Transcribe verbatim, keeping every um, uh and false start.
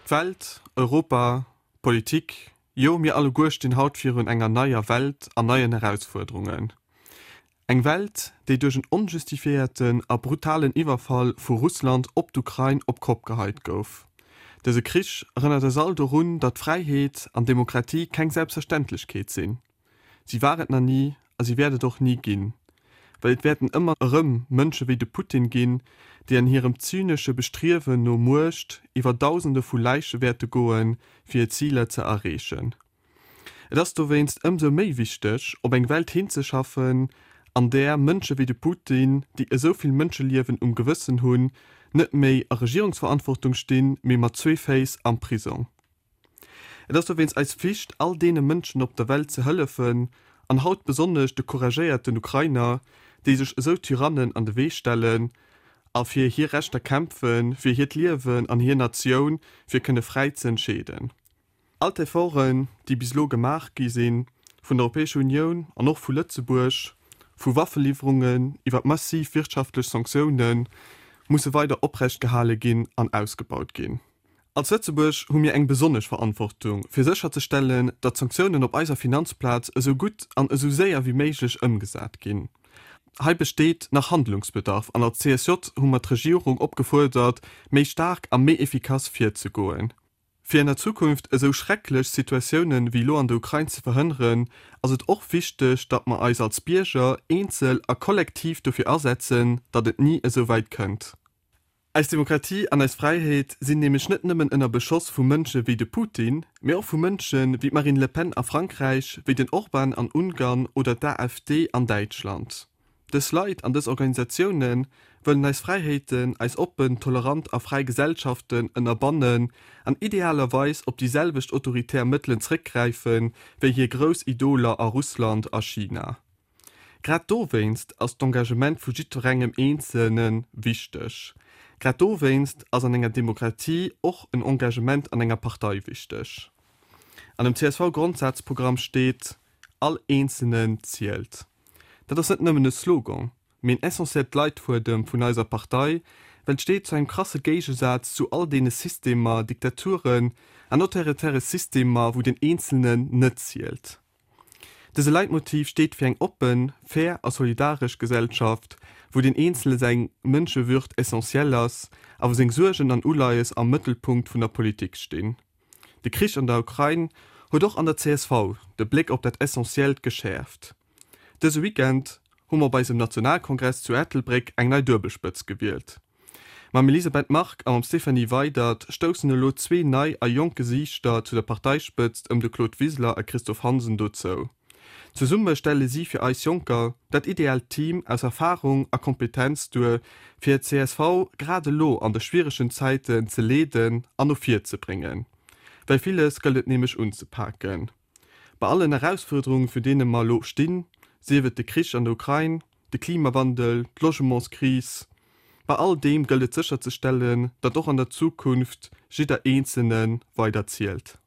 D'Welt, Europa, d'Politik, jo mir alleguer stinn haut virun enger neier Welt an neien Erausfuerderungen. Eng Welt, déi duerch en onjustifiéierten a brutalen Iwwerfall vu Russland op d'Ukrain op d'Kopp geheit gouf. Dëse Krich erënnert eis all dorun, datt Fräiheet an Demokratie keng Selbstverständlechkeet sinn. Si war et nach ni a si wäert et och ni ginn. Well et wäerten ëmmer erëm Mënsche wéi de Putin ginn, déi an hirem zynesche Bestriewen no Muecht iwwer Dausende vu Läiche wäerte goen, fir hir Ziler ze erreechen. Et ass dowéinst ëmsou méi wichteg, op eng Welt hinzeschaffen, an där Mënsche wéi de Putin, déi esou vill Mënscheliewen um Gewëssen hunn, net méi a Regierungsverantwortung stinn, mee mat zwee Féiss am Prisong. Et ass dowéinst eis Flicht, all deene Mënschen op der Welt ze hëllefen, an haut besonnesch de couragéierten Ukrainer, déi sech esou Tyrannen an de Wee stellen a fir hir Rechter kämpfen, fir hiert Liewen an hir Natioun, fir kënne fräi ze entscheeden. All d'Efforten, déi bis elo gemaach gi sinn, vun der Europäescher Unioun an och vu Lëtzebuerg, vu Waffeliwwerungen iwwer massiv wirtschaftlech Sanktiounen, musse weider oprecht gehale ginn an ausgebaut ginn. Als Lëtzebuerg hu mir eng besonnesch Verantwortung, fir sécherzestellen, datt d'Sanktiounen op eiser Finanzplaz esou gutt an esou séier wéi méiglech ëmgesat ginn. Hei besteet nach Handlungsbedarf an als C S J hu mer d'Regierung opgefuerdert, méi staark a méi effikass virzegoen. Fir an der Zukunft esou schrecklech Situatiounen wéi elo an der Ukrain ze verhënneren, ass et och wichteg, datt mer eis als Bierger eenzel a kollektiv dofir asetzen, datt et ni esou wäit kënnt. Eis Demokratie an eis Fräiheet sinn nämlech net nëmmen ënner Beschoss vu Mënsche wéi de Putin, mee och vu Mënsche wéi d'Marine Le Pen a Frankräich, wéi den Orban an Ungarn oder d'A F D an Däitschland. Dës Leit an dës Organisatioune wëllen eis Fräiheeten, eis oppen, tolerant a fräi Gesellschaften ënnerbannen an idealerweis op déi selwecht autoritär Mëttelen zréckgräifen, wéi hir grouss Idoler a Russland a China. Grad dowéinst ass d'Engagement vu jiddwerengem Eenzelne wichteg. Grad dowéinst ass an enger Demokratie och en Engagement an enger Partei wichteg. An dem C S V-Grondsazprogramm steet, All Eenzelnen zielt. Dat ass net nëmmen e Slogan, mee en essentiellt Leitfuedem vun eiser Partei, well et steet zu engem krasse Géigesaz zu all deene Systemer, Diktaturen an autoritäre Systemer, wou den Eenzelnen net zielt. Dëse Leitmotiv steet fir eng oppen, fair a solidaresch Gesellschaft, wou dem Eenzele seng Mënschewürd essentiell ass a wou seng Suergen an Uleies am Mëttelpunkt vun der Politik stinn. De Krich an der Ukrain huet och an der C S V de Bléck op dat Essentiellt geschäerft. Dëse Weekend hu mer bei eisem Nationalkongress zu Ettelbréck eng nei Duebelspëtzt gewielt. Mam Elisabeth Margue a mam Stéphanie Weydert stoussen elo zwee nei a jonk Gesiichter zu der Parteispëtzt ëm de Claude Wiseler a Christophe Hansen dozou. Zesumme stelle si fir eis Jonker dat ideaalt Team aus Erfarung a Kompetenz duer, fir d'C S V grad elo an de schwieregen Zäiten ze leeden an no vir ze bréngen. Well villes gëllt et nämlech unzepaken. Bei allen Erausfuerderungen, virun deene mer elo stinn, sief et de Krich an der Ukrain, de Klimawandel, d'Logementskris, bei all deem gëllt et sécherzestellen, datt och an der Zukunft jidder Eenzelne weider zielt.